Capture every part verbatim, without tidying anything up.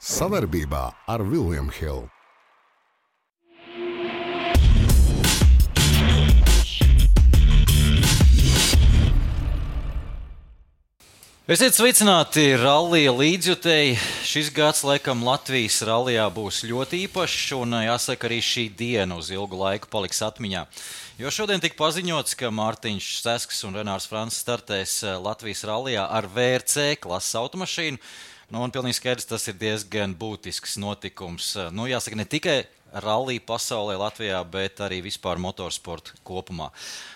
Savarbībā ar William Hill. Esiet sveicināti rallija līdzjutēji. Šis gads, laikam, Latvijas rallijā būs ļoti īpašs, un jāsaka, arī šī diena uz ilgu laiku paliks atmiņā. Jo šodien tika paziņots, ka Mārtiņš Sesks un Renārs Francis startēs Latvijas rallijā ar V R C klases automašīnu. Nu, un pilnīgi skaidrs, tas ir diezgan būtisks notikums. Nu, jāsaka, ne tikai rallija pasaulē Latvijā, bet arī vispār motorsporta kopumā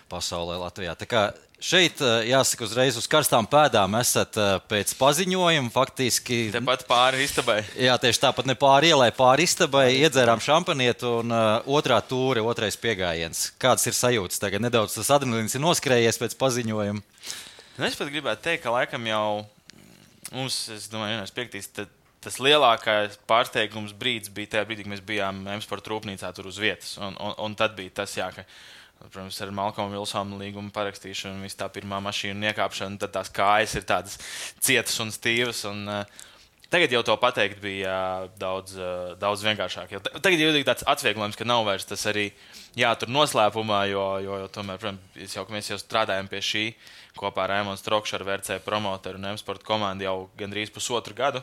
pasaulē Latvijā. Tā kā šeit, jāsaka, uzreiz uz karstām pēdām esat pēc paziņojuma faktiski. Tepat pāri istabai. Jā, tieši tāpat ne pāri ielai, pāri istabai, iedzērām šampanietu un uh, otrā tūre, otrais piegājiens. Kāds ir sajūtas tagad? Nedaudz tas adrenalīns ir noskrējies pēc paziņojuma. Nu, es pat gribētu teikt, ka laikam jau mums, es domāju, vienais piektīs, tas lielākais pārsteigums brīdis bija tajā brīdī, kad mēs bijām M-sporta rūpnīcā tur uz vietas. Un, un, un tad bija tas, jā, ka, protams, ar Malcolmu Vilsonu līgumu parakstīšanu, visu tā pirmā mašīnu iekāpšanu, tad tās kājas ir tādas cietas un stīvas. Un, uh, tagad jau to pateikt bija uh, daudz, uh, daudz vienkāršāk. Jo tagad jau ir tāds atvieglojums, ka nav vairs tas arī jātur noslēpumā, jo, jo, jo tomēr, protams, jau, mēs jau strādājam pie šī kopā ar Raimonu Strokšu, ar V R C promoteru un M-sporta komandu jau gandrīz pusotru gadu.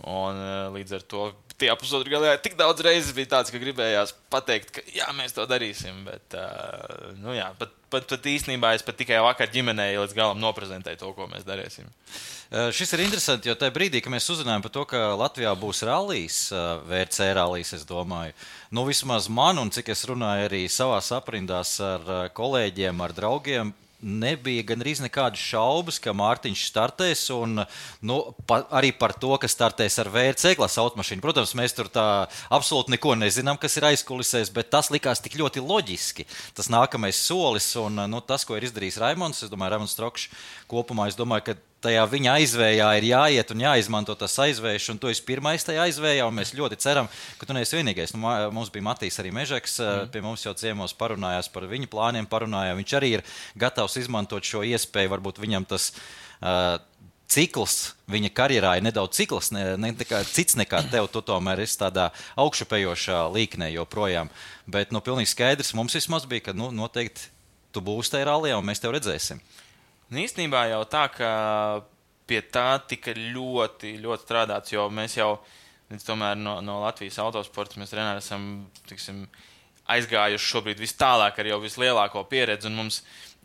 Un uh, līdz ar to tie pusotru gadu tik daudz reizes bija tāds, ka gribējās pateikt, ka jā, mēs to darīsim. Bet, uh, nu jā, pat, pat, pat īstenībā es pat tikai vakar ģimenei līdz galam noprezentēju to, ko mēs darīsim. Uh, šis ir interesanti, jo tajā brīdī, kad mēs uzzinājām par to, ka Latvijā būs rallijs, uh, V R C rallijs, es domāju, nu vismaz man, un cik es runāju arī savās aprindās ar uh, kolēģiem, ar draugiem, nebija gandrīz nekādas šaubas, ka Mārtiņš startēs, un nu, pa, arī par to, ka startēs ar V R C klases automašīnu. Protams, mēs tur tā absolūti neko nezinām, kas ir aizkulisēs, bet tas likās tik ļoti loģiski. Tas nākamais solis, un nu, tas, ko ir izdarījis Raimons, es domāju, Raimons Strokšs kopumā, es domāju, ka tajā viņa aizvējā ir jāiet un jāizmanto tas aizvējš, un tu esi pirmais tajā aizvējā, un mēs ļoti ceram, ka tu neesi vienīgais. Nu, mums bija Matīs arī Mežeks, mm. pie mums jau ciemos parunājās par viņu plāniem, parunājām. Viņš arī ir gatavs izmantot šo iespēju, varbūt viņam tas uh, cikls viņa karjerā ir nedaudz cikls, ne, ne nekā, cits nekā tev, tu tomēr esi tādā augšupējošā līknē joprojām. Bet nu, pilnīgi skaidrs mums vismaz bija, ka nu, noteikti tu būsi tajā rallijā, un mēs tev redzēsim. Īstenībā jau tā, ka pie tā tika ļoti, ļoti strādāts, jo mēs jau tomēr no, no Latvijas autosporta mēs Renāri esam tiksim, aizgājuši šobrīd vis tālāk ar jau vislielāko pieredzi, un mums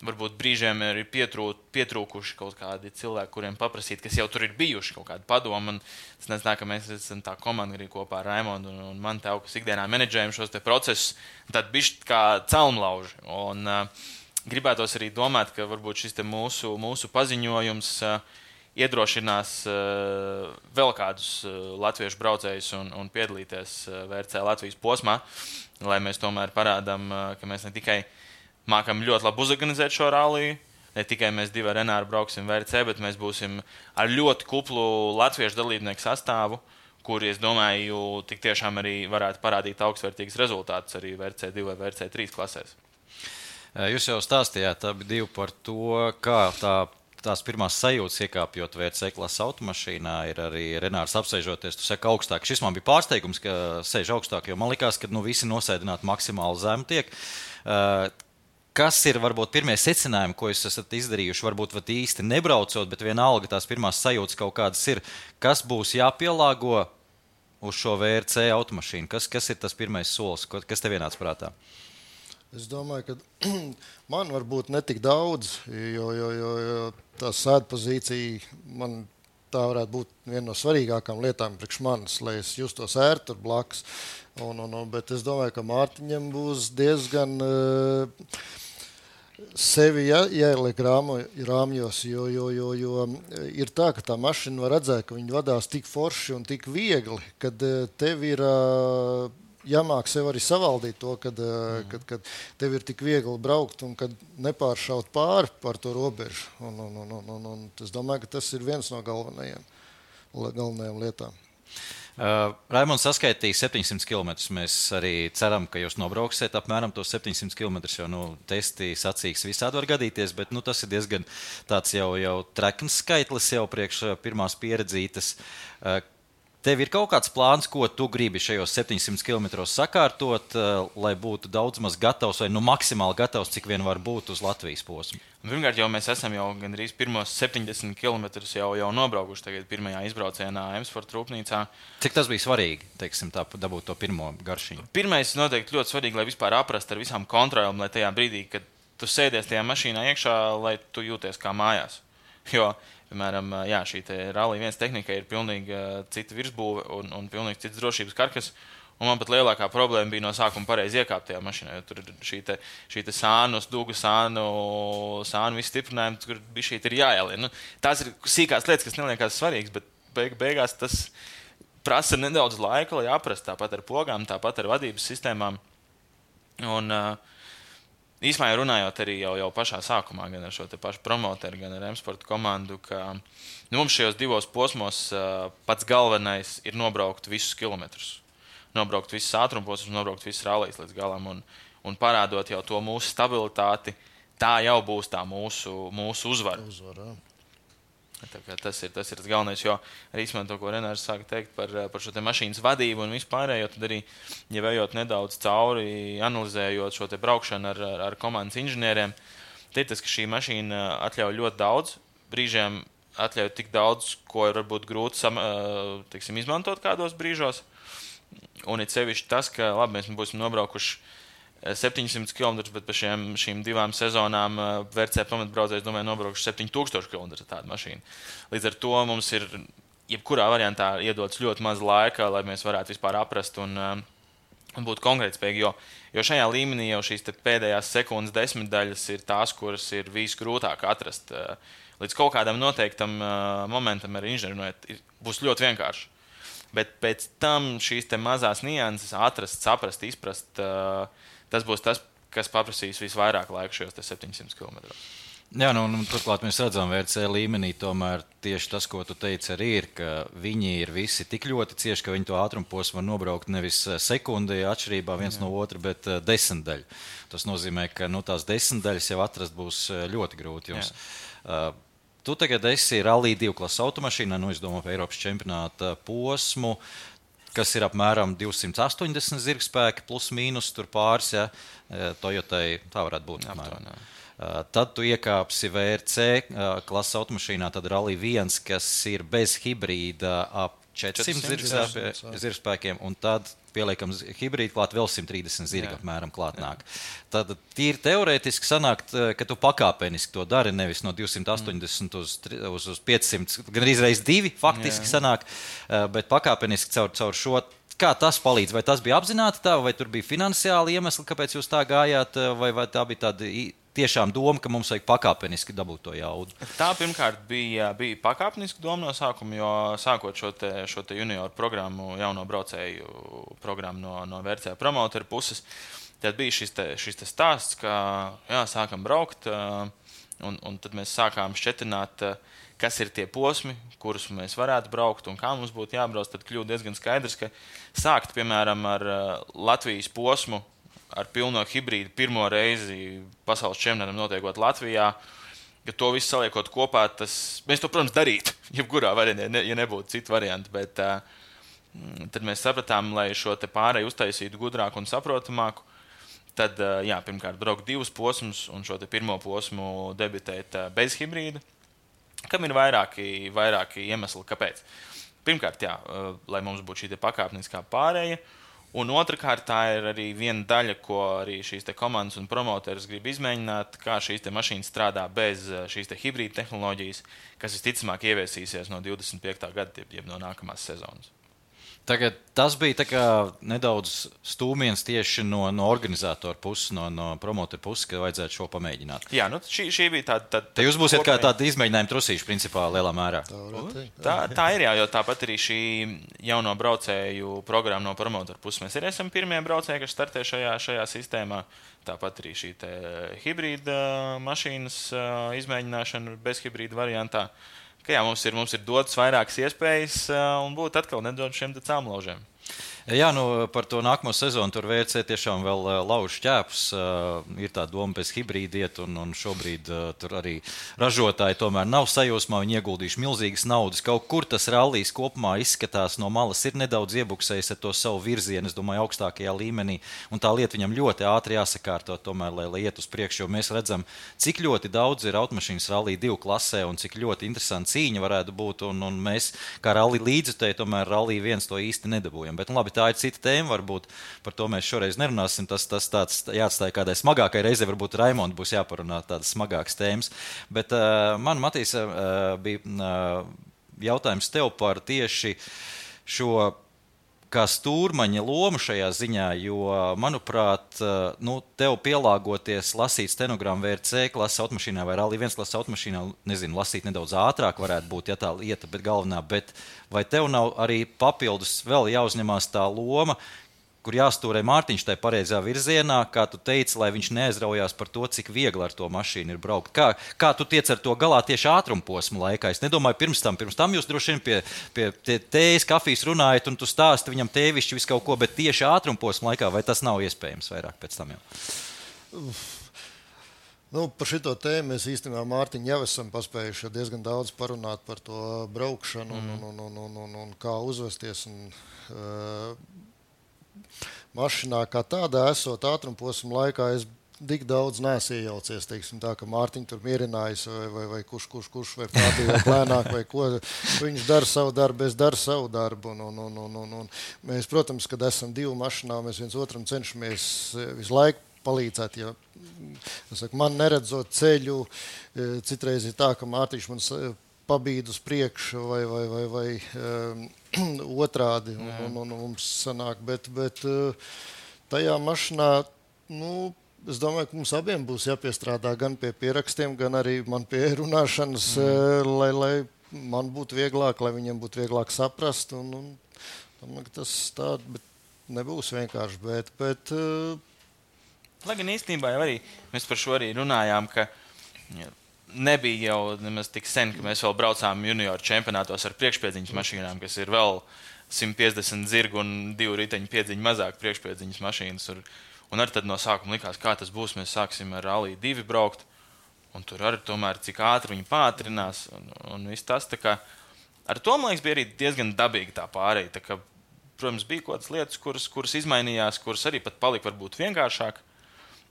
varbūt brīžiem ir pietrū, pietrūkuši kaut kādi cilvēki, kuriem paprasīt, kas jau tur ir bijuši kaut kādi padomi, un es nezinu, ka mēs esam tā komanda arī kopā ar Raimondu un, un man tev, kas ikdienā menedžējam šos te procesus, tad bišķi kā celmlauži, un uh, gribētos arī domāt, ka varbūt šis te mūsu, mūsu paziņojums uh, iedrošinās uh, vēl kādus uh, latviešu braucējus un, un piedalīties uh, V R C Latvijas posmā, lai mēs tomēr parādām, uh, ka mēs ne tikai mākam ļoti labi uzorganizēt šo ralliju, ne tikai mēs divi ar Renāru brauksim V R C, bet mēs būsim ar ļoti kuplu latviešu dalībnieku sastāvu, kuri, es domāju, tik tiešām arī varētu parādīt augstvērtīgus rezultātus arī V R C divi vai V R C trīs klasēs. Jūs jau stāstījāt abi divi par to, kā tā, tās pirmās sajūtas iekāpjot V R C klases automašīnā ir arī Renārs apsēžoties. Tu saki augstāk. Šis man bija pārsteigums, ka sēž augstāk, jo man likās, ka nu, visi nosēdināti maksimāli zem tiek. Uh, kas ir varbūt pirmie secinājumi, ko jūs esat izdarījuši? Varbūt vat īsti nebraucot, bet vienalga tās pirmās sajūtas kaut kādas ir. Kas būs jāpielāgo uz šo V R C automašīnu? Kas, kas ir tas pirmais solis? Kas tev ienāca prātā? Es domāju, ka man varbūt netik daudz, jo, jo, jo, jo tā sēdpozīcija man tā varētu būt viena no svarīgākām lietām priekš manis, lai es justos ērti tur blakus. Un, un, un, bet es domāju, ka Mārtiņam būs diezgan uh, sevi jā, jāieliek rāmjos, jo, jo, jo, jo ir tā, ka tā mašina var redzēt, ka viņi vadās tik forši un tik viegli, kad uh, tev ir... Uh, jāmāk sev arī savaldīt to, kad, mm. kad, kad tev ir tik viegli braukt un kad nepāršaut pāri par to robežu. Un, un, un, un, un, un es domāju, ka tas ir viens no galvenajiem, galvenajām lietām. Uh, Raimonds saskaitīja septiņsimt kilometrus. Mēs arī ceram, ka jūs nobrauksiet apmēram tos septiņsimt kilometrus, jo nu, testi sacīks visādi var gadīties, bet nu, tas ir diezgan tāds jau, jau trekns skaitlis jau priekš pirmās pieredzītas. Uh, Tev ir kaut kāds plāns, ko tu gribi šajos septiņsimt kilometros sakārtot, lai būtu daudz maz gatavs vai nu maksimāli gatavs, cik vien var būt uz Latvijas posmu? Pirmkārt, jau mēs esam jau gandrīz pirmos septiņdesmit kilometrus jau, jau nobraukuši tagad pirmajā izbraucienā M-Sport rūpnīcā. Cik tas bija svarīgi, teiksim, tā, dabūt to pirmo garšiņu? Pirmais noteikti ļoti svarīgi, lai vispār aprast ar visām kontrolēm, lai tajā brīdī, kad tu sēdies tajā mašīnā iekšā, lai tu jūties kā mājās. Jo, piemēram, jā, šī te Rally viens tehnika ir pilnīgi cita virsbūve un, un pilnīgi cits drošības karkas. Un man pat lielākā problēma bija no sākuma pareizi iekāpt tajā mašīnā, jo tur ir šī te, šī te sānu, stūgu sānu, sānu visi stiprinājumi, kur bija šī te ir jāielien. Nu, tās ir sīkās lietas, kas neliekās svarīgas, bet beig, beigās tas prasa nedaudz laika, lai aprast tāpat ar pogām, tāpat ar vadības sistēmām. Un īsmā jau runājot arī jau, jau pašā sākumā, gan ar šo te pašu promoteru, gan ar M-Sport komandu, ka nu, mums šajos divos posmos pats galvenais ir nobraukt visus kilometrus. Nobraukt visas ātrumposmus, nobraukt visas rallijas līdz galam un, un parādot jau to mūsu stabilitāti, tā jau būs tā mūsu, mūsu uzvara. Uzvara. Tas ir, tas ir tas galvenais, jo arī īstenībā to, ko Renārs sāka teikt par, par šo te mašīnas vadību un vispārējo, tad arī, ja vējot nedaudz cauri, analizējot šo te braukšanu ar, ar, ar komandas inženieriem, tad tas, ka šī mašīna atļauj ļoti daudz, brīžiem atļauj tik daudz, ko ir varbūt grūti sam, teiksim, izmantot kādos brīžos. Un ir sevišķi tas, ka labi, mēs būsim nobraukuši septiņsimt kilometrus, bet par šiem, šīm divām sezonām V R C pamatbraucējs, domāju, nobraukuši septiņi tūkstoši kilometru tādu mašīnu. Līdz ar to mums ir jebkurā variantā iedots ļoti maz laika, lai mēs varētu vispār aprast un, un būt konkrētspējīgi, jo, jo šajā līmenī jau šīs te pēdējās sekundes desmitdaļas ir tās, kuras ir visgrūtāk atrast. Līdz kaut kādam noteiktam momentam ar inženieri būs ļoti vienkārši. Bet pēc tam šīs te mazās nianses atrast, saprast, izprast, tas būs tas, kas paprasīs visvairāk laika šajos septiņsimt kilometros. Jā, nu, un turklāt mēs redzam, V R C līmenī tomēr tieši tas, ko tu teici, arī ir, ka viņi ir visi tik ļoti cieši, ka viņi to ātrumposmu var nobraukt nevis sekundi atšķirībā viens Jā. No otra, bet desmitdaļu. Tas nozīmē, ka nu, tās desmitdaļas jau atrast būs ļoti grūti jums. Jā. Tu tagad esi Rally divu klases automašīnā, nu, es domāju, par Eiropas čempionāta posmu, kas ir apmēram divsimt astoņdesmit zirgspēki, plus mīnus tur pāris, ja, Toyotai, tā varētu būt. Apmēram. Tad tu iekāpsi V R C klases automašīnā, tad Rally viens, kas ir bez hibrīda ap četrsimt zirgspēkiem, un tad pieliekam hibrīdu klāt, vēl simt trīsdesmit zirgi apmēram klāt nāk. Tad tīri teorētiski sanāk, ka tu pakāpeniski to dari, nevis no divsimt astoņdesmit uz, uz, uz piecsimt, gan reiz divi faktiski Jā. Sanāk, bet pakāpeniski caur, caur šo. Kā tas palīdz? Vai tas bija apzināti tā, vai tur bija finansiāli iemesli, kāpēc jūs tā gājāt, vai, vai tā bija tāda tiešām doma, ka mums vajag pakāpeniski dabūt to jaudu? Tā pirmkārt bija, bija pakāpeniski doma no sākuma, jo sākot šo te, šo te junioru programmu, jauno braucēju programmu no, no V R C promoteru puses, tad bija šis, te, šis te stāsts, ka jā, sākam braukt, un, un tad mēs sākām šķetināt, kas ir tie posmi, kurus mēs varētu braukt un kā mums būtu jābrauc, tad kļūst diezgan skaidrs, ka sākt, piemēram, ar Latvijas posmu, ar pilno hibrīdu pirmo reizi pasaules čempionātam notiekot Latvijā, ka to visu saliekot kopā, tas, mēs to, protams, darītu, jebkurā variantā, ne, ja nebūtu citu variantu, bet uh, tad mēs sapratām, lai šo te pārēju uztaisītu gudrāku un saprotamāku, tad, uh, jā, pirmkārt, braukt divus posmus un šo te pirmo posmu debitēt uh, bez hibrīda, kam ir vairāki, vairāki iemesli, kāpēc. Pirmkārt, jā, uh, lai mums būtu šī te pakāpeniskā pārēja, un otrkārt, tā ir arī viena daļa, ko arī šīs te komandas un promoteris grib izmēģināt, kā šīs te mašīnas strādā bez šīs te hibrīda tehnoloģijas, kas visticamāk ieviesīsies no divdesmit piektā gada, jeb no nākamās sezonas. Tagad tas bija tā kā nedaudz stūmiens tieši no, no organizatora puses, no, no promotora puses, ka vajadzētu šo pamēģināt. Jā, nu šī, šī bija tāda... Tā, Te jūs būsiet kā tāda izmēģinājuma trusīši, principā, lielā mērā. Tā, tā, tā ir, jā, jo tāpat arī šī jauno braucēju programma no promotora puses. Mēs arī esam pirmie braucēji, kas startē šajā, šajā sistēmā. Tāpat arī šī te hibrīda mašīnas izmēģināšana bez hibrīda variantā. Ka jā, mums ir, mums ir dotas vairākas iespējas un būt atkal nedaudz šiem cāmlaužiem. Jā, nu, par to nākamo sezonu tur V R C tiešām vēl uh, lauž ķēpus. Uh, ir tā doma pēc hibrīda iet, un, un šobrīd uh, tur arī ražotāji tomēr nav sajūsmā. Viņi ieguldījuši milzīgas naudas. Kaut kur tas rallijs kopumā izskatās no malas, ir nedaudz iebuksējis ar to savu virzienu, es domāju, augstākajā līmenī. Un tā lieta viņam ļoti ātri jāsakārto, tomēr, lai, lai iet uz priekšu. Jo mēs redzam, cik ļoti daudz ir automašīnas rallija divu klasē un cik ļoti interesanti cīņa varētu būt. Un, un mēs, kā rallija līdzjutēji, tomēr rallija viens to īsti nedabūjam. Bet, nu, labi, tā ir cita tēma, varbūt par to mēs šoreiz nerunāsim. Tas, tas tāds jāatstāj kādai smagākai reizei, varbūt Raimonda būs jāparunā tādas smagākas tēmas. Bet uh, man, Matīs, uh, bija uh, jautājums tev par tieši šo kā stūrmaņa lomu šajā ziņā, jo, manuprāt, uh, nu, tev pielāgoties lasīt stenogramu V R C klases automašīnā vai Rallija viens klases automašīnā, nezinu, lasīt nedaudz ātrāk varētu būt, ja tā lieta, bet galvenā, bet vai tev nav arī papildus vēl jāuzņemās tā loma, kur jāstūrē Mārtiņš tajā pareizā virzienā, kā tu teici, lai viņš neaizraujās par to, cik viegli ar to mašīnu ir braukt. Kā, kā tu tiec ar to galā tieši ātrumposmu laikā? Es nedomāju pirms tam, pirms tam jūs droši vien pie, pie tējas, kafijas runājat, un tu stāsti viņam tēvišķi visu kaut ko, bet tieši ātrumposmu laikā, vai tas nav iespējams vairāk pēc tam jau? Nu, par šito tēmu mēs īstenībā Mārtiņu jau esam paspējuši diezgan daudz parunāt par to braukšanu mm. un, un, un, un, un, un kā uzvesties. Un, uh, mašīnā kā tādā esot ātrumposmu laikā, es tik daudz neesmu iejaucies, teiksim tā, ka Mārtiņu tur mierinājis vai, vai, vai kurš, kurš, kurš, vai prātīgi lēnāk, vai ko. Viņš dara savu darbu, es daru savu darbu. Un, un, un, un, un, un mēs, protams, kad esam divu mašīnā, mēs viens otram cenšamies visu laiku palīdzēt. Ja, saku, man neredzot ceļu, citreiz ir tā, ka Mārtiņš man pabīd uz priekšu vai, vai, vai, vai um, otrādi un, un, un mums sanāk, bet, bet tajā mašīnā, nu, es domāju, ka mums abiem būs jāpiestrādā gan pie pierakstiem, gan arī man pie runāšanas, mm. lai, lai man būtu vieglāk, lai viņiem būtu vieglāk saprast, un, un domāju, ka tas tā, bet nebūs vienkārši, bet, bet lai gan īstenībā jau arī mēs par šo arī runājām, ka nebija jau nemaz tik sen, ka mēs vēl braucām junioru čempionātos ar priekšpiedziņas mašīnām, kas ir vēl simt piecdesmit zirgu un divu riteņu piedziņu mazāk priekšpiedziņas mašīnas. Un, un arī tad no sākuma likās, kā tas būs, mēs sāksim ar Rallija divi braukt, un tur arī tomēr cik ātri viņi pātrinās, un, un viss tas. Tā kā, ar to, man liekas, bija arī diezgan dabīgi tā pārēja. Tā kā, protams, bija kaut kādas lietas, kuras, kuras izmainījās, kuras arī pat palika varbūt vienkāršāk.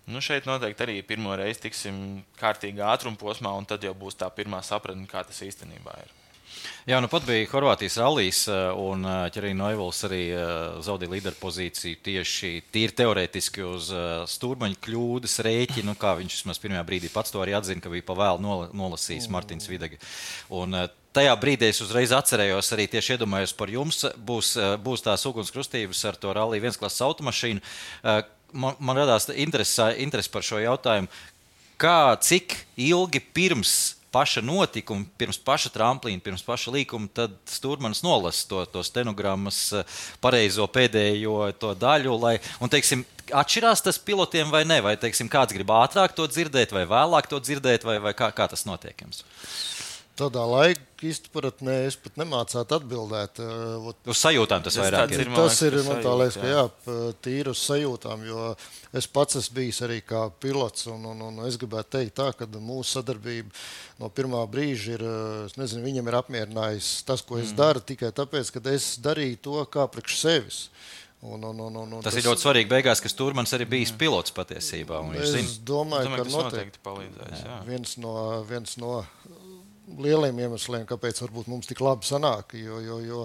Nu, šeit noteikti arī pirmo reizi tiksim kārtīgā ātrumposmā, un tad jau būs tā pirmā sapratne, kā tas īstenībā ir. Jā, nu pat bija Horvātijas rallijs, un Ķerīna Noivols arī zaudīja līderu pozīciju tieši tīri teorētiski uz stūrmaņa kļūdas rēķinu, kā viņš vismaz pirmajā brīdī pats to arī atzina, ka bija pa vēlu nolasījis Martins Videgi. Un tajā brīdī es uzreiz atcerējos, arī tieši iedomājos par jums, būs, būs tās ugunskrustības ar to Rallija viens klases automašīnu. Man, man radās interesi, interesi par šo jautājumu, kā, cik ilgi pirms paša notikuma, pirms paša tramplīna, pirms paša līkuma, tad stūrmanis nolasa to, to stenogrammas pareizo pēdējo to daļu, lai, un, teiksim, atšķirās tas pilotiem vai ne, vai, teiksim, kāds grib ātrāk to dzirdēt, vai vēlāk to dzirdēt, vai, vai kā, kā tas notiek jums? Tādā laika izpratnē es pat nemācētu atbildēt. Uz sajūtām tas vairāk ir. Tas ir, man tā liekas, ka jā, tīri uz sajūtām, jo es pats esmu bijis arī kā pilots, un, un, un es gribētu teikt tā, ka mūsu sadarbība no pirmā brīža ir, es nezinu, viņam ir apmierinājis tas, ko es mm. daru, tikai tāpēc, ka es darīju to kā priekš sevis. Un, un, un, un, tas, tas ir ļoti svarīgi beigās, ka Stūrmans arī bijis pilots patiesībā. Es zin. domāju, domāju, ka noteikti, noteikti palīdzēs. Jā. Viens no, viens no lieliem iemesliem, kāpēc varbūt mums tik labi sanāk, jo, jo, jo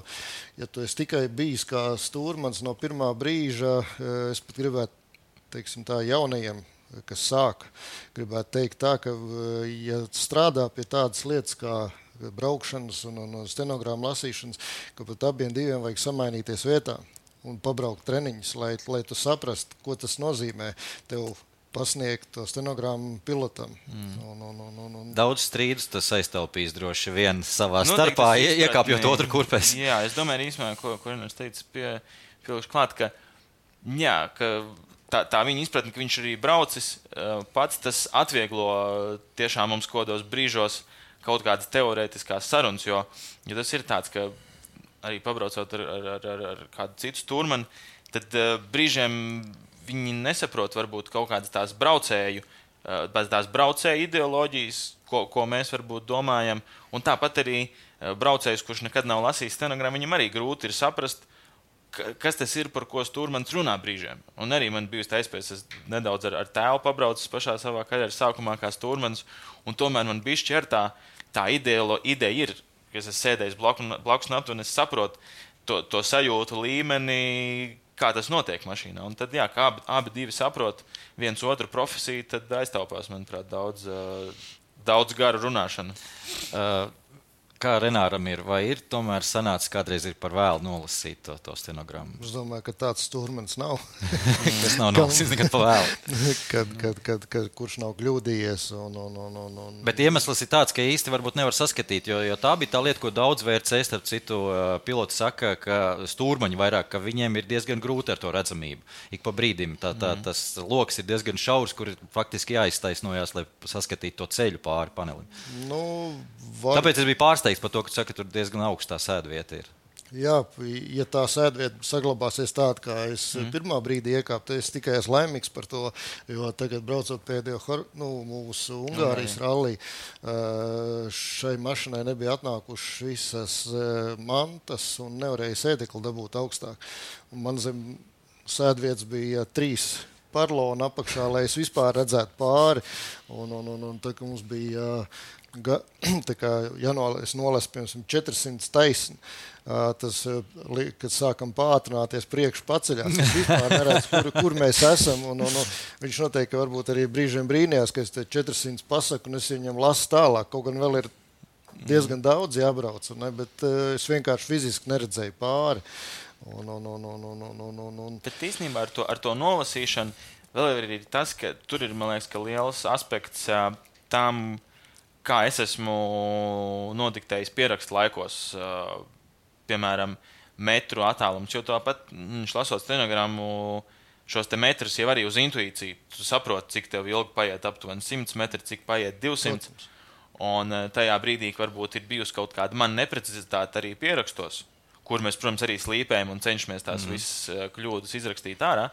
ja tu esi tikai bijis kā Stūrmans no pirmā brīža, es pat gribētu, teiksim tā, jaunajiem, kas sāk, gribētu teikt tā, ka ja strādā pie tādas lietas kā braukšanas un, un stenogrammu lasīšanas, ka pat abiem diviem vajag samainīties vietā un pabraukt treniņus, lai, lai tu saprastu, ko tas nozīmē tev pasniegt to stenogrammu pilotam. Mm. Un, un, un, un, un... Daudz strīdus tas aiztaupīs droši vien savā nu, starpā, iekāpjot otru kurpēs. Jā, es domāju, īstenībā, ko, ko Renārs teica, pie, pielikšu klāt, ka, jā, ka tā, tā viņa izpratne, ka viņš arī braucis, pats tas atvieglo tiešām mums kodos brīžos kaut kādas teorētiskās sarunas, jo, jo tas ir tāds, ka arī pabraucot ar, ar, ar, ar, ar kādu citu stūrmani, tad uh, brīžiem viņi nesaprot varbūt kaut kādas tās braucēju, uh, tās braucēju ideoloģijas, ko, ko mēs varbūt domājam. Un tāpat arī uh, braucējs, kurš nekad nav lasījis stenogramu, viņam arī grūti ir saprast, kas tas ir, par ko stūrmanis runā brīžiem. Un arī man bijusi tā iespējas, es nedaudz ar, ar tēlu pabraucis pašā savā karjeras sākumā kā stūrmanis, un tomēr man bišķi ar tā, tā ideolo, ideja ir, ka es esmu sēdējis blakus napt, un es saprotu to, to sajūtu līmeni, kā tas notiek mašīnā. Un tad, jā, kā abi, abi divi saprot viens otru profesiju, tad aiztaupās, manuprāt, daudz, daudz garu runāšanu. Uh. Kā Renāram ir, vai ir tomēr sanācis kādreiz ir par vēlu nolasīt to, to stenogrammu? Es domāju, ka tāds stūrmanis nav. Tas nav nolasīts nekad par vēlu. kad, kad, kad, kad, kurš nav kļūdījies. Un, un, un, un, un... Bet iemesls ir tāds, ka īsti varbūt nevar saskatīt, jo, jo tā bija tā lieta, ko daudz V R C, starp citu, piloti saka, ka stūrmaņi vairāk, ka viņiem ir diezgan grūti ar to redzamību. Ik pa brīdim tā, tā, tas loks ir diezgan šaurs, kur ir faktiski jāiztaisnojās, lai saskatītu to ceļu pāri panelim. Nu, var... Tāpēc es biju pārsteigts par to, ka tu saki, ka tur diezgan augstā sēdvieta ir. Jā, ja tā sēdvieta saglabāsies tāda, kā es mm. pirmā brīdī iekāpu, tad es tikai esmu laimīgs par to, jo tagad braucot pēdējo nu, mūsu Ungārijas rallī, šai mašinai nebija atnākušas visas mantas un nevarēja sēdekli dabūt augstāk. Un man zem sēdvietas bija trīs parlona apakšā, lai es vispār redzētu pāri. Un, un, un, un tā, ka mums bija ga, tā kā jānolēs nolēs, piemēram, četri simti taisni. Tas, kad sākam pātrināties priekš paceļās, es vispār neredzu, kur, kur mēs esam. Un, un, un viņš noteikti varbūt arī brīžiem brīnījās, ka es te četri simti pasaku un es viņam lasu tālāk. Kaut gan vēl ir diezgan daudz jābrauc, ne? Bet es vienkārši fiziski neredzēju pāri. Un, un, un, un, un, un, un, un. Bet īstenībā ar to, ar to nolasīšanu vēl ir tas, ka tur ir, man liekas, ka liels aspekts tam, kā es esmu nodiktējis pierakstu laikos, piemēram, metru attālums, jo tāpat viņš lasot stenogrammu šos te metrus jau arī uz intuīciju. Tu saproti, cik tev ilgi paiet aptuveni simts metri, cik paiet divsimt. Un tajā brīdī, varbūt ir bijusi kaut kāda man neprecizitāte arī pierakstos, kur mēs, protams, arī slīpējam un cenšamies tās mm. visas kļūdas izrakstīt ārā.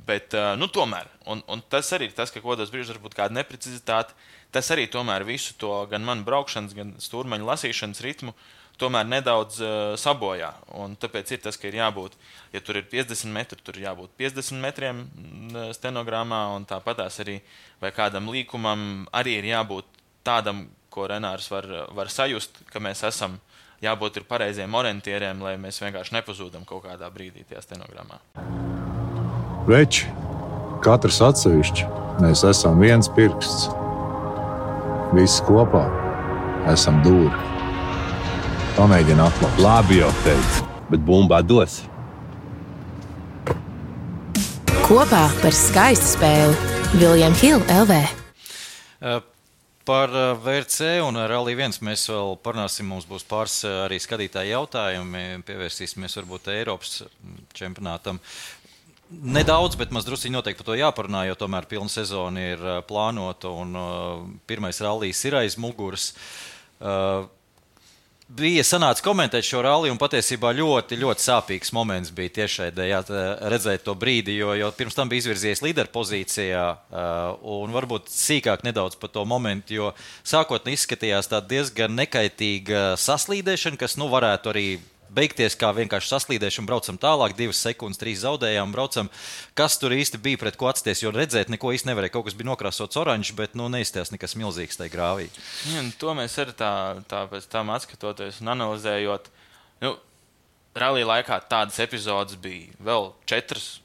Bet, nu, tomēr, un, un tas arī ir tas, ka kodos brīžos varbūt kāda neprecizitāte, tas arī tomēr visu to gan manu braukšanas, gan stūrmaņu lasīšanas ritmu tomēr nedaudz uh, sabojā. Un tāpēc ir tas, ka ir jābūt, ja tur ir piecdesmit metri, tur ir jābūt piecdesmit metriem stenogramā, un tāpatās arī, vai kādam līkumam arī ir jābūt tādam, ko Renārs var, var sajust, ka mēs esam jābūt ir pareiziem orientieriem, lai mēs vienkārši nepazūdam kaut kādā brīdī tajā stenogramā. Veči, katrs atsevišķi, mēs esam viens pirksts. Visi kopā esam dūri. Pamēģini atklāt. Labi jau teicu, bet bumbā dos. Kopā par skaistu spēli William Hill L V. Uh. Par V R C un Rally viens mēs vēl parunāsim, mums būs pāris arī skatītāji jautājumi, pievērsīsimies varbūt Eiropas čempionātam. Nedaudz, bet maz drusciņi noteikti par to jāparunā, jo tomēr pilna sezona ir plānota un pirmais rallijs ir aiz muguras. Bija sanāca komentēt šo ralliju un patiesībā ļoti, ļoti sāpīgs moments bija tiešraidē redzēt to brīdi, jo, jo pirms tam bija izvirzies līderpozīcijā un varbūt sīkāk nedaudz par to momentu, jo sākotnēji izskatījās tā diezgan nekaitīga saslīdēšana, kas nu varētu arī beigties kā vienkārši saslīdēšana, braucam tālāk, divas sekundes, trīs zaudējām, braucam. Kas tur īsti bija pret ko atsties, jo redzēt neko īsti nevarēja. Kaut kas bija nokrāsots oranžs, bet nu, neizstās nekas milzīgs tajā grāvī. Ja, to mēs arī tā, tā pēc tam atskatoties un analizējot. Nu, rallija laikā tādas epizodes bija vēl četras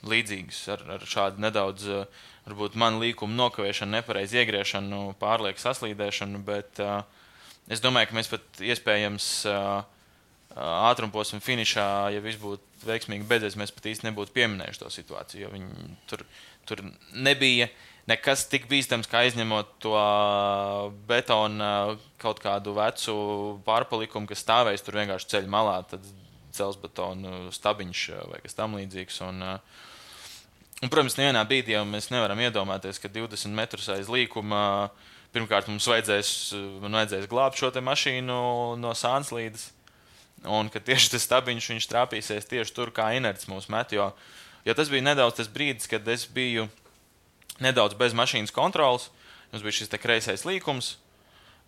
līdzīgas ar, ar šādu nedaudz, varbūt man līkumu nokavēšanu, nepareizi iegriešanu, pārlieku saslīdēšanu, bet uh, es domāju, ka mēs pat iespējams uh, ātrumposma finišā, ja viss būtu veiksmīgi beidzies, mēs pat īsti nebūtu pieminējuši to situāciju, jo viņi tur, tur nebija nekas tik bīstams, kā izņemot to betona kaut kādu vecu pārpalikumu, kas stāvēs tur vienkārši ceļa malā, tad dzelzbetonu stabiņš vai kas tam līdzīgs. Un, un, protams, nevienā brīdī jau mēs nevaram iedomāties, ka divdesmit metrus aiz līkuma pirmkārt mums vajadzēs, man vajadzēs glābt šo te mašīnu no Sānslīdes. un ka tieši tas stabiņš viņš trāpīsies tieši tur, kā inerts mūs met, jo, jo tas bija nedaudz tas brīdis, kad es biju nedaudz bez mašīnas kontrolas, mums bija šis te kreisais līkums,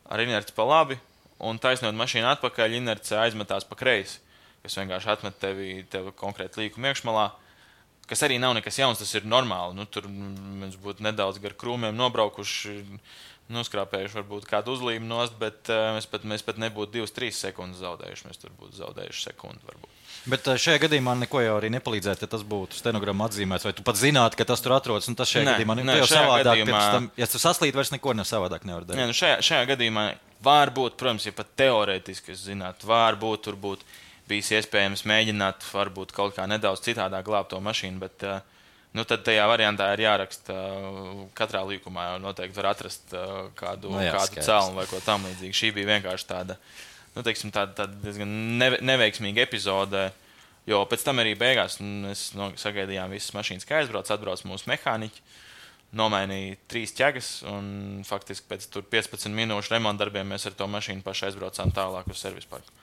ar inerci pa labi, un taisnot mašīnu atpakaļ, inerci aizmetās pa kreisi, kas vienkārši atmet tevi, tevi konkrēti līkumu iekšmalā, kas arī nav nekas jauns, tas ir normāli. Nu, tur mēs būtu nedaudz gar krūmiem nobraukuši, noskrāpējuši varbūt kādu uzlīmu nost, bet uh, mēs, pat, mēs pat nebūtu divas trīs sekundes zaudējuši, mēs tur būtu zaudējuši sekundi varbūt. Bet šajā gadījumā neko jau arī nepalīdzētu, ja tas būtu stenogramma atzīmēts, vai tu pat zinātu, ka tas tur atrodas, un tas šajā ne, gadījumā ne, jau savādāk, gadījumā... tam, ja tu saslīt, vairs neko ne savādāk nevar darīt. Ne, nu šajā, šajā gadījumā var būt, protams, ja pat teorētiski, es zinātu, var būt, tur būt bijis iespējams mēģināt, varbūt kaut kā nedaudz citādāk glābt to mašīnu, bet nu, tad tajā variantā ir jāraksta katrā līkumā, jau noteikti var atrast kādu, no jā, kādu celnu vai ko tam līdzīgi. Šī bija vienkārši tāda, nu, teiksim, tāda, tāda diezgan neve, neveiksmīga epizode, jo pēc tam arī beigās mēs no, sagaidījām visas mašīnas, kā aizbrauc, atbrauc mūsu mehāniķi, nomainīja trīs ķegas, un faktiski pēc tur piecpadsmit minūšu remontdarbiem mēs ar to mašīnu paši aizbraucām tālāk uz servisparku.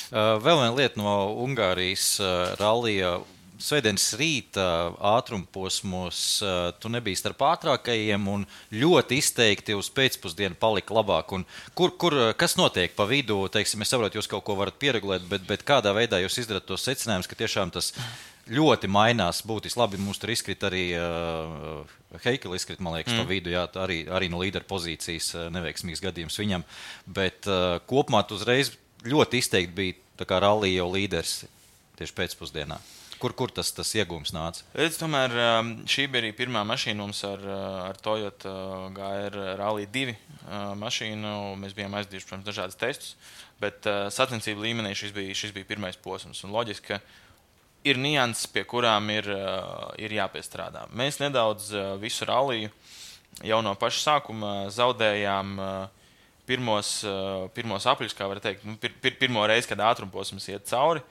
Uh, vēl viena lieta no Ungārijas uh, rallija. Svētdienas rīta ātrumposmos uh, tu nebija starp ātrākajiem un ļoti izteikti uz pēcpusdienu palika labāk. Un kur, kur, kas notiek pa vidu? Teiksim, es saprotu, jūs kaut ko varat pieregulēt, bet, bet kādā veidā jūs izdarat tos secinājumus, ka tiešām tas ļoti mainās būtiski. Labi, mums tur izkrit arī uh, Heikela izkrit, man liekas, mm. pa vidu, jā, arī, arī no līdera pozīcijas uh, neveiksmīgs gadījums viņam. Bet uh, kopumā tu uzreiz ļoti izteikti bija tā kā rallija jau līderis tieši pēcpusdienā. Kur, kur tas, tas iegūms nāca? Es tomēr šī bija arī pirmā mašīna mums ar, ar Toyota G R Rally divi mašīnu. Mēs bijām aizdījuši, protams, dažādas testus, bet sacensību līmenī šis bija, šis bija pirmais posms. Un loģiski, ka ir nianses, pie kurām ir, ir jāpiestrādā. Mēs nedaudz visu ralliju jau no paša sākuma zaudējām pirmos, pirmos apļus, kā var teikt, pir, pir, pirmo reizi, kad ātrumposms iet cauri,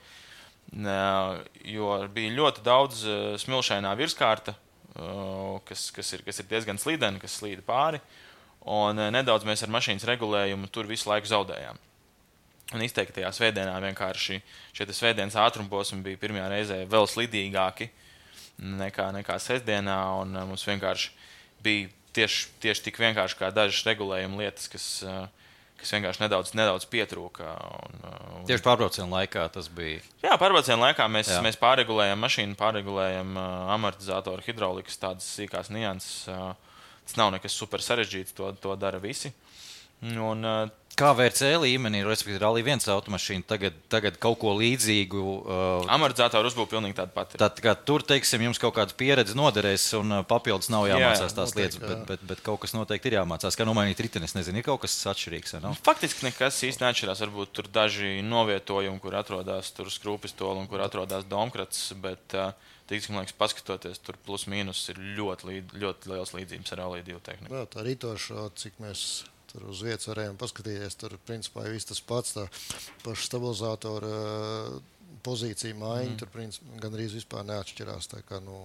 jo bija ļoti daudz smilšainā virskārta, kas, kas, ir, kas ir diezgan slīdena, kas slīda pāri, un nedaudz mēs ar mašīnas regulējumu tur visu laiku zaudējām. Un izteiktajā svētdienā vienkārši šie svētdienas ātrumposmi bija pirmajā reizē vēl slidīgāki nekā, nekā sestdienā, un mums vienkārši bija Tieši, tieši tik vienkārši kā dažas regulējuma lietas, kas, kas vienkārši nedaudz, nedaudz pietrūka. Un, un... Tieši pārbrauciena laikā tas bija? Jā, pārbrauciena laikā mēs, mēs pārregulējam mašīnu, pārregulējam amortizatoru, hidraulikas, tādas sīkās nianses. Tas nav nekas super sarežģīts, to, to dara visi. Un, kā V R C līmenī, respektīvi Rally viens automašīna, tagad, tagad kaut ko līdzīgu... Uh, amortizatoru uzbūve pilnīgi tāda pati. Tad, kā tur, teiksim, jums kaut kāda pieredze noderēs un papildus nav jāmācās jā, jā, tās lietas, bet, bet, bet kaut kas noteikti ir jāmācās. Kā nomainīt riteni, es nezinu, ir kaut kas atšķirīgs, vai nav? Faktiski nekas īsti neatšķirās. Varbūt tur daži novietojumi, kur atrodas tur skrūpistoli un kur atrodas domkrats, bet, teiksim, man liekas, paskatoties, tur plus mīnus ir ļoti, līd, ļoti liels līdzības ar Rally divi tehniku. Jā, tā ritošo, cik mēs... Tur uz vietas varējām paskatīties, tur principā ir viss tas pats, tā paša stabilizātora pozīcija maiņa, mm. tur principā gan arī vispār neatšķirās. Tā, kā, nu,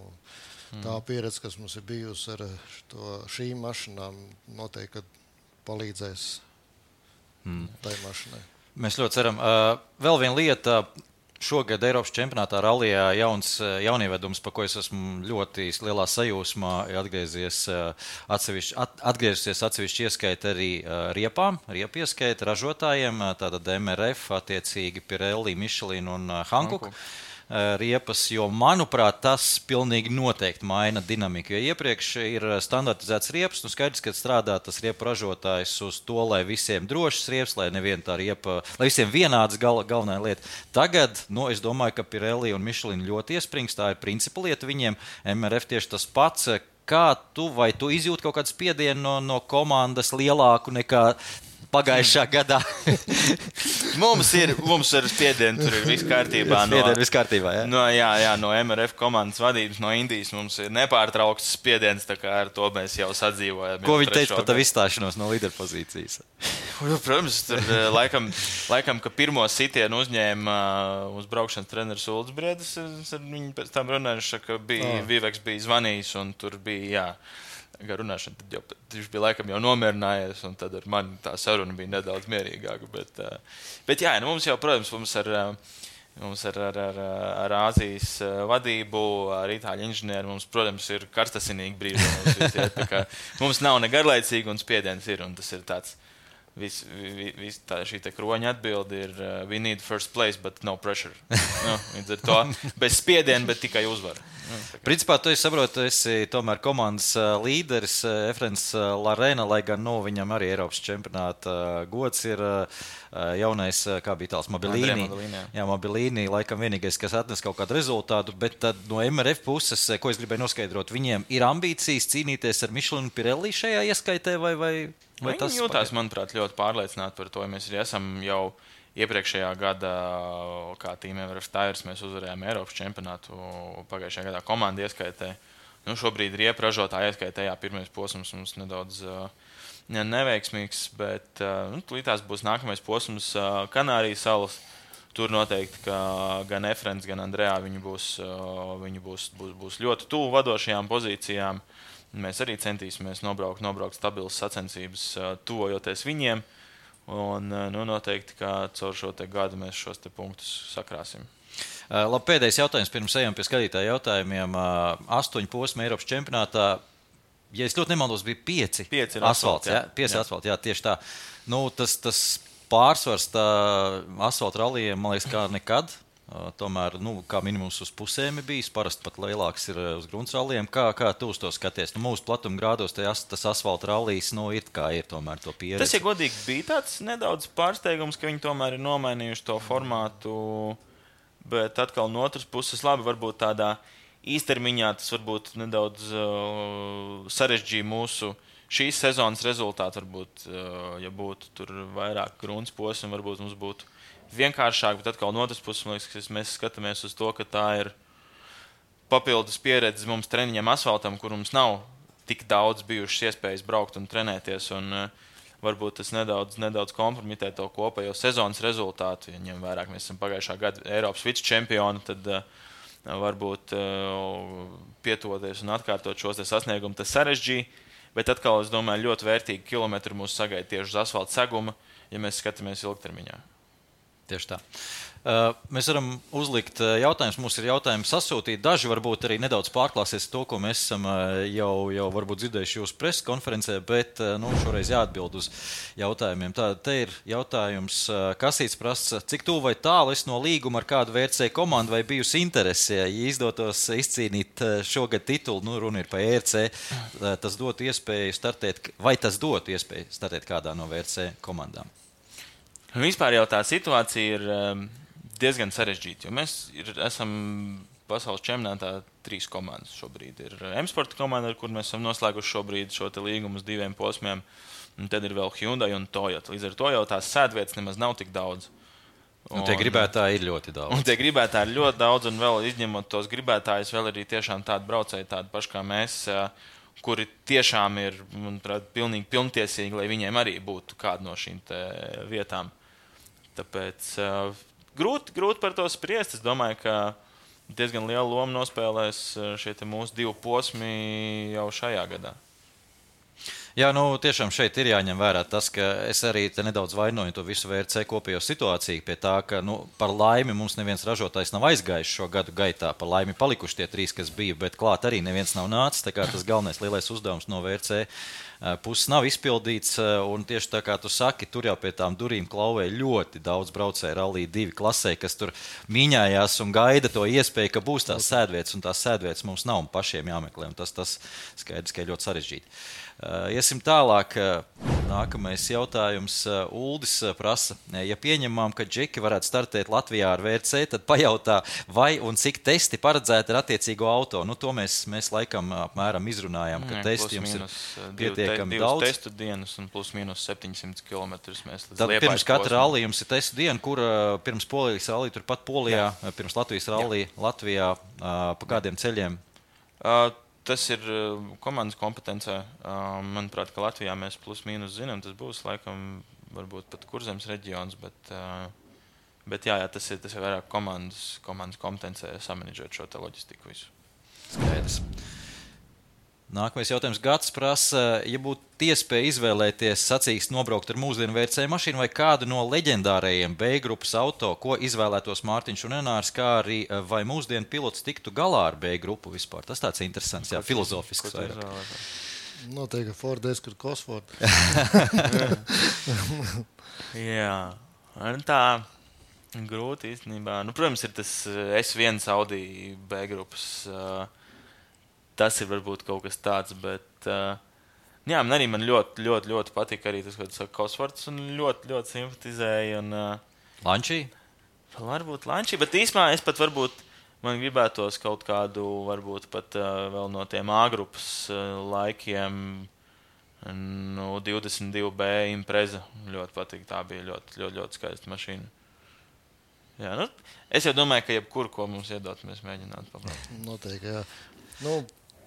mm. tā pieredze, kas mums ir bijusi ar to, šīm mašinām, noteikti palīdzēs mm. tai mašinai. Mēs ļoti ceram. Uh, vēl viena lieta. Šogad Eiropas čempionātā rallijā jauns jaunievedums, par ko es esmu ļoti lielā sajūsmā, atgriezies atsevišķi, at, atgriezusies atsevišķi ieskaita arī riepām, riepu ieskaita ražotājiem, tātad M R F, attiecīgi Pirelli, Michelin un Hankook riepas, jo, manuprāt, tas pilnīgi noteikti maina dinamiku, jo iepriekš ir standartizēts riepas, nu skaidrs, ka strādā tas riepu ražotājs uz to, lai visiem drošas riepas, lai neviena tā riepa, lai visiem vienāds gal, galvenā lieta. Tagad, nu, es domāju, ka Pirelli un Michelin ļoti iesprings, tā ir principa lieta viņiem, M R F tieši tas pats. Kā tu, vai tu izjūti kaut kādu spiedienu no, no komandas lielāku nekā pagājušā gadā? mums, ir, mums ir spiedieni, tur ir viss kārtībā. No, viss kārtībā, jā? No, jā, jā, no M R F komandas vadības, no Indijas mums ir nepārtraukts spiediens, tā kā ar to mēs jau sadzīvojam. Ko viņi teica par tavu izstāšanos no līderpozīcijas? Protams, tur laikam, laikam, ka pirmo sitienu uzņēma uz braukšanas treneris Ulds Briedis, ar viņu pēc tam runājuši, ka bija, oh. Viveks bija zvanījis un tur bija, jā, Gar runāšana, tad jau, viņš bija laikam jau nomierinājies, un tad ar mani tā saruna bija nedaudz mierīgāka. Bet, bet jā, nu mums jau, protams, mums ar, mums ar, ar, ar, ar Āzijas vadību, ar itāļu inženieri, mums, protams, ir karstasinīgi brīži. Mums, visiet, kā, mums nav ne garlaicīgi, un spiediens ir, un tas ir tāds. Vis, vis, tā, šī te kroņa atbildi ir uh, we need first place, but no pressure. Nu, līdz ar to bez spiediena, bet tikai uzvara. Nu, Principā, tu saproti, tu esi tomēr komandas uh, līderis, uh, Efrens uh, Larena, lai gan no viņam arī Eiropas čempionāta uh, gods ir uh, jaunais, uh, kā bija tāls, Mobilīni. Jā, Mobilīni, laikam vienīgais, kas atnes kaut kādu rezultātu, bet tad no M R F puses, ko es gribēju noskaidrot, viņiem ir ambīcijas cīnīties ar Michelinu Pirelli šajā ieskaitē vai... vai... Vai Viņi jūtās, manuprāt, ļoti pārliecināti par to. Mēs arī esam jau iepriekšējā gada, kā Team M R F Tires, mēs uzvarējām Eiropas čempionātu pagājušajā gadā komandu ieskaitē. Nu, šobrīd riepu ražotāju ieskaitē, jā, pirmais posms mums nedaudz uh, neveiksmīgs, bet uh, nu, līdz būs nākamais posms uh, Kanārijas salas. Tur noteikti, ka gan Efrens, gan Andrejā viņi būs, uh, viņi būs, būs, būs ļoti tuvu vadošajām pozīcijām. Mēs arī centīsimies nobraukt, nobraukt stabilas sacensības, tuvojoties viņiem. Un nu, noteikti, ka caur šo te gadu mēs šos te punktus sakrāsim. Labi, pēdējais jautājums pirms ejam pie skatītāju jautājumiem. Astoņu posmu Eiropas čempionātā, ja es ļoti nemaldos, bija pieci, pieci asfalts. Jā, pieci asfalti, jā, tieši tā. Nu, tas, tas pārsvars tā asfalta rallijiem, man liekas, kā nekad. Tomēr, nu, kā minimums uz pusēm ir bijis, parasti pat lielāks ir uz grunts ralliem. Kā, kā tu uz to skaties? Nu, mūsu platuma grādos tas, tas asfalta rallijs, nu, ir kā ir tomēr to pieredzi. Tas, ja godīgi, bija tāds nedaudz pārsteigums, ka viņi tomēr ir nomainījuši to formātu, bet atkal no otras puses labi, varbūt tādā īstermiņā tas varbūt nedaudz uh, sarežģīja mūsu šīs sezonas rezultātu. Varbūt, uh, ja būtu tur vairāk grunts posmi, varbūt mums būtu vienkāršāk, bet atkal no otras puses, man liekas, mēs skatāmies uz to, ka tā ir papildus pieredze mums treniņam asfaltam, kur mums nav tik daudz bijušas iespējas braukt un trenēties, un uh, varbūt tas nedaudz, nedaudz kompromitē to kopējo sezonas rezultātu. Ja ņem vairāk, mēs esam pagājušā gada Eiropas vicečempioni, tad uh, varbūt uh, pietuvoties un atkārtot šos te sasniegumus, tas sarežģīja, bet atkal, es domāju, ļoti vērtīgi kilometri mūs sagaida tieši uz asfalta seguma, ja mēs skatāmies ilgtermiņā. Tieši tā. Uh, mēs varam uzlikt jautājumus. Mums ir jautājumi sasūtīti. Daži varbūt arī nedaudz pārklāsies to, ko mēs esam jau, jau varbūt dzirdējuši jūsu preses konferencē, bet nu, šoreiz jāatbild uz jautājumiem. Tā, te ir jautājums, Kasīts prasa, cik tuvu vai tālu es no līguma ar kādu V R C komandu vai bijusi interese, ja izdotos izcīnīt šogad titulu, nu runa ir par E R C, tas dotu iespēju startēt, vai tas dotu iespēju startēt kādā no V R C komandām? Vispār jau tā situācija ir um, diezgan sarežģīta, jo mēs ir, esam pasaules čempionātā trīs komandas šobrīd. Ir M-Sporta komanda, ar kur mēs esam noslēguši šobrīd šo te līgumu uz diviem posmiem, un tad ir vēl Hyundai un Toyota. Līdz ar to jau tās sēdvietas nemaz nav tik daudz. Un, un tie gribētāji ir ļoti daudz. Un tie gribētāji ir ļoti daudz, un vēl izņemot tos gribētājus, vēl arī tiešām tādi braucēji, tādi paši kā mēs, kuri tiešām ir, manuprāt, pilnīgi pilntiesīgi, lai viņiem arī būtu kāda no šīm te vietām. Tāpēc uh, grūti, grūti par to spriest. Es domāju, ka diezgan lielu lomu nospēlēs šie te mūsu divi posmi jau šajā gadā. Jā, nu tiešām šeit ir jāņem vērā tas, ka es arī te nedaudz vainoju to visu V R C kopējo situāciju pie tā, ka nu, par laimi mums neviens ražotājs nav aizgājis šo gadu gaitā. Par laimi palikuši tie trīs, kas bija, bet klāt arī neviens nav nācis. Tā kā tas galvenais lielais uzdevums no V R C puses nav izpildīts, un tieši tā kā tu saki, tur jau pie tām durīm klauvē ļoti daudz braucēju rallī divi klasē, kas tur mīņājās un gaida to iespēju, ka būs tās sēdvietas, un tās sēdvietas mums nav un pašiem jāmeklē, un tas, tas skaidrs, ka ir ļoti sarežģīti. Uh, iesim tālāk. Nākamais jautājums. Uh, Uldis prasa, ja pieņemam, ka džeki varētu startēt Latvijā ar V R C, tad pajautā, vai un cik testi paredzēti ar attiecīgo auto. Nu, to mēs, mēs laikam apmēram izrunājām, ka Jā, testi jums minus, ir pietiekami div, daudz. Testu dienas un plus mīnus septiņsimt kilometrus mēs līdz Tad Liepājas pirms katra posmam. rallija jums ir testu diena, kur uh, pirms Polijas rallija, turpat Polijā, Jā. pirms Latvijas rallija, Latvijā, uh, pa kādiem ceļiem? Uh, Tas ir komandas kompetencē. Manuprāt, ka Latvijā mēs plus mīnus zinām, tas būs laikam varbūt pat Kurzemes reģions, bet, bet jā, jā, tas ir, tas ir vairāk komandas, komandas kompetencē samanedžēt šo te loģistiku visu. Skaidrs. Nākamais jautājums. Gads prasa, ja būtu iespēja izvēlēties sacīkst nobraukt ar mūsdienu V C mašīnu vai kādu no leģendārajiem B grupas auto, ko izvēlētos Mārtiņš un Enārs, kā arī vai mūsdienu pilots tiktu galā ar B grupu vispār? Tas tāds interesants, jā, filozofisks vairāk. Noteikti Ford Escort Cosworth. Jā, tā grūti īstenībā. Nu, protams, ir tas S viens Audi B grupas. Tas ir varbūt kaut kas tāds, bet uh, jā, man arī man ļoti, ļoti, ļoti patika arī tas, ko tu saki, Cosworths, un ļoti, ļoti simpatizēja. Un, uh, Lančī? Varbūt Lančī, bet īsmā es pat varbūt, man gribētos kaut kādu, varbūt pat uh, vēl no tiem A grupas uh, laikiem, nu, divdesmit divi B Impreza. Ļoti patika, tā bija ļoti, ļoti, ļoti skaista mašīna. Jā, nu, es jau domāju, ka jebkur, ko mums iedot, mēs mēģinātu paprāt. Noteikti, jā. Nu,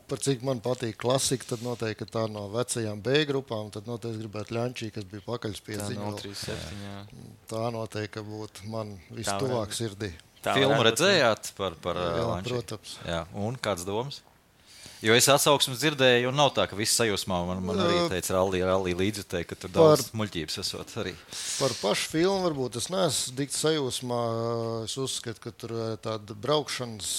par cik man patīk klasika, tad noteikti tā no vecajām B grupām, tad noteikti gribētu Ļančī, kas bija pakaļspiedziņa. Tā, tā noteikti būtu man vistuvāk sirdī. Filmu redzējāt par, par jā, Ļančī? Protams. Jā, un kāds domas? Jo es atsauksmes dzirdēju, un nav tā, ka viss sajūsmā man, man arī teica rallī, rallī līdzjutēji, ka tur daudz par, muļķības esot arī. Par pašu filmu varbūt es neesmu dikti sajūsmā. Es uzskatu, ka tur tāda braukšanas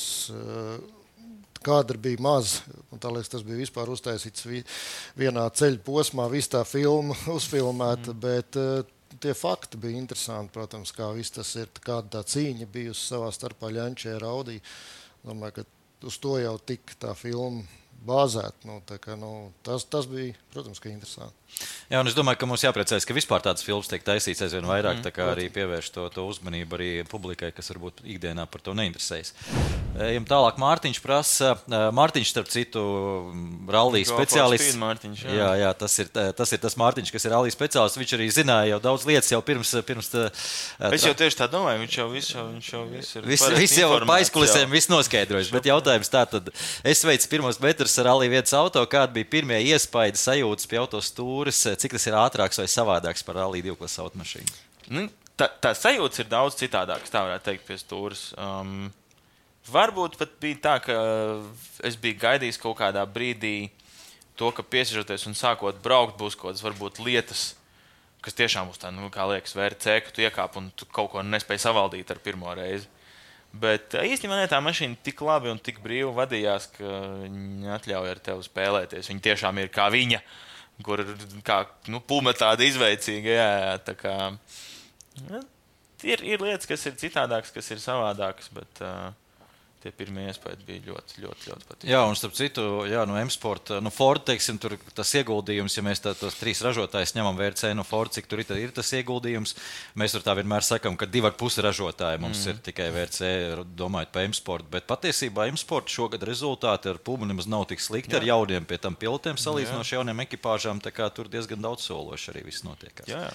kadri bija maz. Un tā liekas, tas bija vispār uztaisīts vienā ceļa posmā, viss tā filma uzfilmēta, mm. bet uh, tie fakti bija interesanti, protams, kā viss tas ir, kāda tā cīņa bijusi savā starpā Ļančē ar Audi. Domāju, ka uz to jau tik tā filma bāzēt. Nu, tā kā, nu, tas, tas bija, protams, ka interesanti. Jā, un es domāju, ka mums jāpriecājas, ka vispār tādas filmas tiek taisīts aizvien vairāk, mm, tā kā arī pievērš to, to uzmanību arī publikai, kas varbūt ikdienā par to neinteresējas. Ejam tālāk, Mārtiņš prasa. Mārtiņš, starp citu, rallija speciālists. Mārtiņš, jā. Jā, jā, tas ir, tas ir tas Mārtiņš, kas ir rallija speciālists. Viņš arī zināja jau daudz lietas jau pirms... pirms tā, es jau tieši tā domāju, viņš jau viss, viņš jau viss ir... Viss vis jau pa aizkulisēm viss noskaidrojas, bet jautājums tā tad. Es veicu pirmos metrus ar rallija vietas auto, kāda bija pirmie iespaidi sajūtas pie autostūras, cik tas ir ātrāks vai savādāks par rallija divklases automašīnu? Nu, tā, tā sajūtas ir daudz citādākas, tā varētu teikt, pie stūras. Um, Varbūt pat bija tā, ka es biju gaidījis kaut kādā brīdī to, ka piesiežoties un sākot braukt, būs kaut kādas varbūt lietas, kas tiešām būs tā, nu, kā liekas, V R C, ka tu iekāp un tu kaut ko nespēji savaldīt ar pirmo reizi. Bet īstenībā ne, tā mašīna tik labi un tik brīvi vadījās, ka viņi atļauj ar tevi spēlēties. Viņi tiešām ir kā viņa, kur kā, nu, pulme tāda izveicīga, jā, jā, tā kā... Ja, ir, ir lietas, kas ir citādākas, kas ir savādākas, bet... Uh, Tie pirmie iespējas bija ļoti, ļoti, ļoti patīkami. Jā, un starp citu, jā, no M-Sport, no Ford, teiksim, tur tas ieguldījums, ja mēs tā, tos trīs ražotājus ņemam V R C no Ford, cik tur ir, ir tas ieguldījums, mēs tur tā vienmēr sakam, ka divi ar pusi ražotāji mums mm. ir tikai V R C, domājot par M-Sport, bet patiesībā M-Sport šogad rezultāti ar pulmu nemaz nav tik slikti, jā. Ar jauniem pie tam pilotiem salīdzinoši jauniem ekipāžām, tā kā tur diezgan daudz sološi arī viss notiekās. Jā.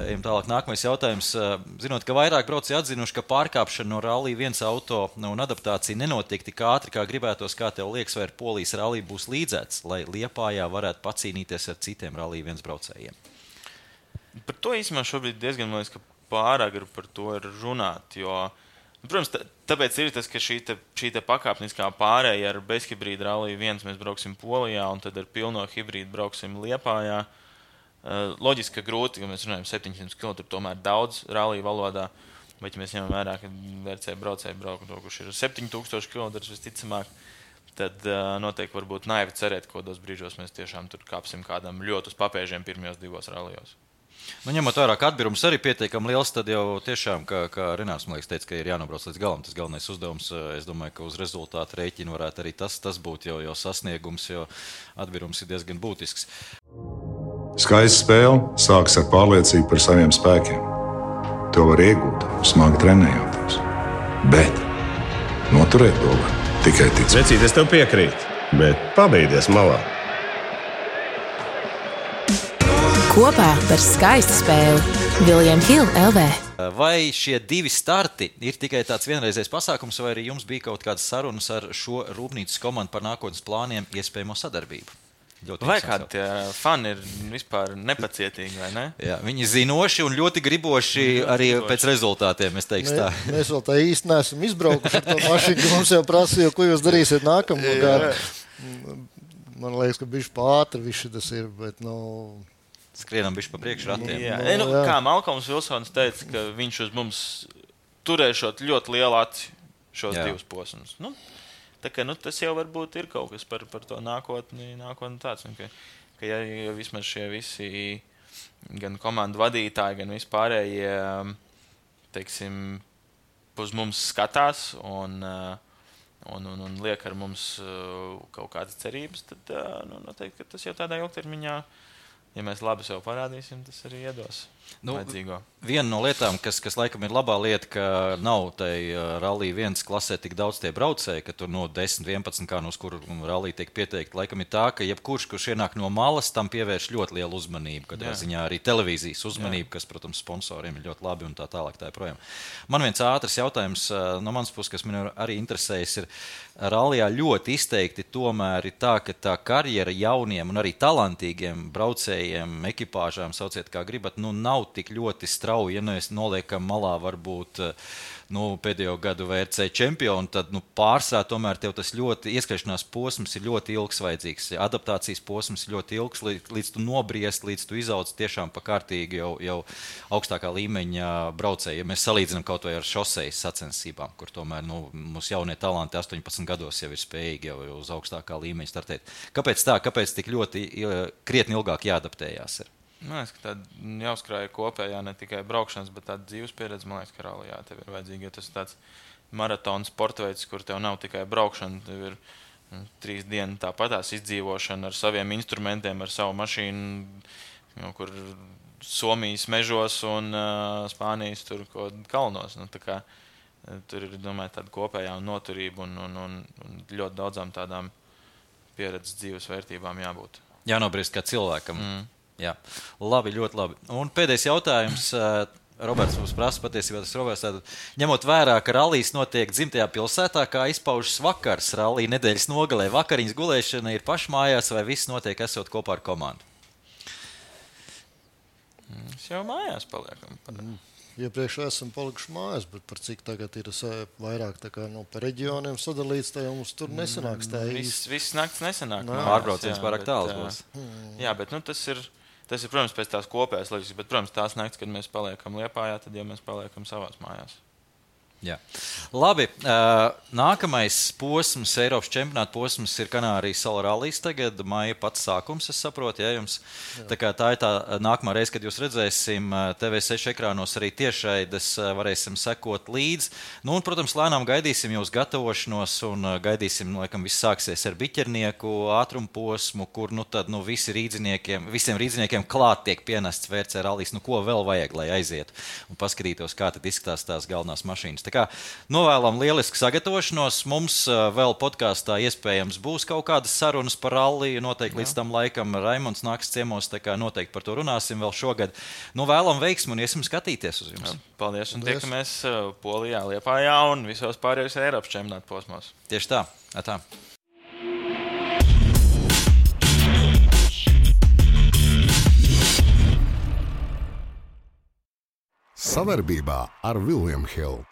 Ejam tālāk, nākamais jautājums. Zinot, ka vairāk braucēji atzinuši, ka pārkāpšana no rallija viens auto un adaptācija nenotiek tik ātri, kā gribētos, kā tev liekas, vai ar Polijas rallija būs līdzēts, lai Liepājā varētu pacīnīties ar citiem rallija viens braucējiem? Par to īstenībā šobrīd diezgan, man liekas, ka pārāk par to ir runāt, jo, protams, tāpēc ir tas, ka šī te, šī te pakāpniskā pārēja ar bezhibrīdu rallija viens mēs brauksim Polijā un tad ar pilno hibrīdu brauksim Liepājā. Loģiski, ka grūti, jo mēs runājam septiņsimt kilometru, tomēr daudz rallija valodā, bet ja mēs ņemam vērā, ka V R C braucēji braukt, kurš ir septiņi tūkstoši kilometru visticamāk, tad uh, noteikti varbūt naivi cerēt, ka kādos brīžos mēs tiešām tur kāpsim kādam ļoti uz papēžiem pirmajos divos rallijos. Nu, ņemot vērā, ka atbirums arī pietiekami liels, tad jau tiešām, kā, kā Renārs, man liekas, teica, ka ir jānobrauc līdz galam. Tas galvenais uzdevums, es domāju, ka uz rezultātu rēķinu varētu arī tas, tas būt jau, jau sasniegums, jo atbirums ir diezgan būtisks. Skaista spēle sākas ar pārliecību par saviem spēkiem. To var iegūt, smagi trenējoties. Bet noturēt to var tikai ticēt. Vecīt, es tev piekrītu, bet pabeigties malā. Kopā par skaistu spēli William Hill L V. Vai šie divi starti ir tikai tāds vienreizējs pasākums, vai arī jums bija kaut kādas sarunas ar šo rūpnīcas komandu par nākotnes plāniem iespējamo sadarbību? Ļoti vai kādi tie fani ir vispār nepacietīgi, vai ne? Jā, viņi zinoši un ļoti griboši arī pēc rezultātiem, es teikšu tā. Mē, mēs vēl tā īsti neesam izbraukuši ar to mašīnu, ka mums jau prasīja, ko jūs darīsiet nākamā gadu. man liekas, ka bišķi pātri viši tas ir, bet, nu... Skrienam bišķi pa priekšu ratiem. Jā, Nu, nu, jā. kā Malkoms Vilsons teica, ka viņš uz mums turēšot ļoti lielu aci šos Jā. divus posmus. Nu, tā kā, nu, tas jau varbūt ir kaut kas par, par to nākotni, nākotni tāds, un ka, ka ja, ja vismaz šie visi gan komandu vadītāji, gan vispārējie, teiksim, uz mums skatās un, un, un, un liek ar mums kaut kādas cerības, tad nu, noteikti, ka tas jau tādā ilgtermiņā, ja mēs labi sev parādīsim, tas arī iedos Nu, vajadzīgo. Viena no lietām, kas, kas laikam ir labā lieta, ka nav tai rallī viens klasē tik daudz tie braucēji, ka tur no desmit, vienpadsmit, kā no uz kuru rallī tiek pieteikti, laikam ir tā, ka jebkurš, kurš ienāk no malas, tam pievērš ļoti lielu uzmanību, kad ziņā arī televīzijas uzmanību, Jā. Kas, protams, sponsoriem ir ļoti labi un tā tālāk tā projām. Man viens ātrs jautājums no manas puses, kas man arī interesējas, ir rallijā ļoti izteikti tomēr ir tā, ka tā karjera jauniem un arī talantīgiem braucējiem, ekipāžām, sauciet kā gribat, nu nav tik ļoti strauji, ja mēs noliekam malā varbūt nu, pēdējo gadu V R C čempionu, tad nu, pārsvarā tomēr tev tas ļoti ieskriešanās posms ir ļoti ilgs vajadzīgs. Adaptācijas posms ir ļoti ilgs, līdz, līdz tu nobriest, līdz tu izauc tiešām pa kārtīgi jau, jau augstākā līmeņa braucēji. Ja mēs salīdzinām kaut vai ar šosejas sacensībām, kur tomēr nu, mūsu jaunie talanti astoņpadsmit gados jau ir spējīgi jau uz augstākā līmeņa startēt. Kāpēc tā? Kāpēc tik ļoti krietni ilgāk jāadaptējās ir? Man liekas, ka tāda jāuzkrāja kopējā ne tikai braukšanas, bet tāda dzīves pieredze, man liekas, ka rallijā tev ir vajadzīga, jo tas ir tāds maratona sportveids, kur tev nav tikai braukšana, tev ir nu, trīs dienu tāpatās izdzīvošana ar saviem instrumentiem, ar savu mašīnu, nu, kur Somijas mežos un uh, Spānijas tur kaut kalnos. Nu, tā kā, tur ir, domāju, tāda kopējā noturība un, un, un, un ļoti daudzām tādām pieredzes dzīves vērtībām jābūt. Jānobriest kā cilvēkam. Mm. Jā, labi, ļoti labi. Un pēdējais jautājums. Roberts mums prasa patiesībā, tas Roberts tātad, ņemot vērā, ka rallijas notiek dzimtajā pilsētā, kā izpaužas vakars rallija nedēļas nogalē. Vakariņas gulēšana ir pašmājās vai viss notiek esot kopā ar komandu? Mēs jau mājās paliekam. Mm. Iepriekš esam palikuši mājās, bet par cik tagad ir vairāk tā kā, nu, pa reģioniem sadalīts, tā jau mums tur nesanāks tā īsti. Viss, viss nakts nesanāk. Nā, pārbrauciens pārāk tāls būs. Jā, bet nu, tas ir, tas ir, protams, pēc tās kopējās loģikas, bet, protams, tās nakts, kad mēs paliekam Liepājā, tad jau mēs paliekam savās mājās. Jā. Labi, nākamais posms, Eiropas čempionāta posms ir Kanārijas salu rallijas tagad, maija pats sākums, es saprotu, ja jums. Tā kā tā ir tā nākamā reize, kad jūs redzēsim T V seši ekrānos arī tiešraides, varēsim sekot līdz. Nu, un, protams, lēnām gaidīsim jūs gatavošanos un gaidīsim, laikam, viss sāksies ar biķernieku ātrumu posmu, kur, nu, tad, nu, visi rīdziniekiem, visiem rīdziniekiem klāt tiek pienests V R C rallijas, nu, ko vēl vajag, lai aizietu un paskatītos, kā tad izskatās tās galvenās mašīnas. Tā kā novēlam lielisku sagatavošanos. Mums vēl podkāstā iespējams būs kaut kādas sarunas par ralliju. Noteikti Jā. Līdz tam laikam Raimonds nāks ciemos, tā kā noteikti par to runāsim vēl šogad. Nu, vēlam veiksmu un iesim skatīties uz jums. Jā, paldies un tiekamies Polijā, Liepājā un visos pārējos Eiropas čempionāta posmos. Tieši tā. Atā. Savarbībā ar William Hill.